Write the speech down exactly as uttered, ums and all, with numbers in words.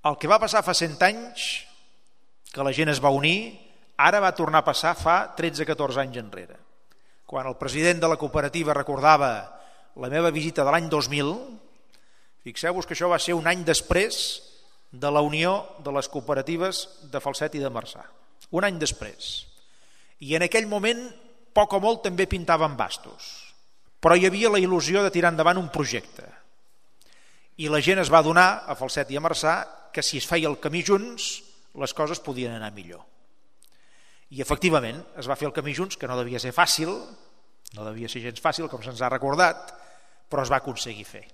El que va passar fa cent anys, que la gent es va unir, ara va tornar a passar fa tretze catorze anys enrere. Quan el president de la cooperativa recordava la meva visita de l'any dos mil, fixeu-vos que això va ser un any després de la unió de les cooperatives de Falset i de Marçà. Un any després. I en aquell moment, poc o molt, també pintaven bastos. Però hi havia la il·lusió de tirar endavant un projecte. I la gent es va adonar, a Falset i a Marçà, que si es feia el camí junts, les coses podien anar millor. I efectivament es va fer el camí junts, que no devia ser fàcil, no devia ser gens fàcil, com se'ns ha recordat, però es va aconseguir fer.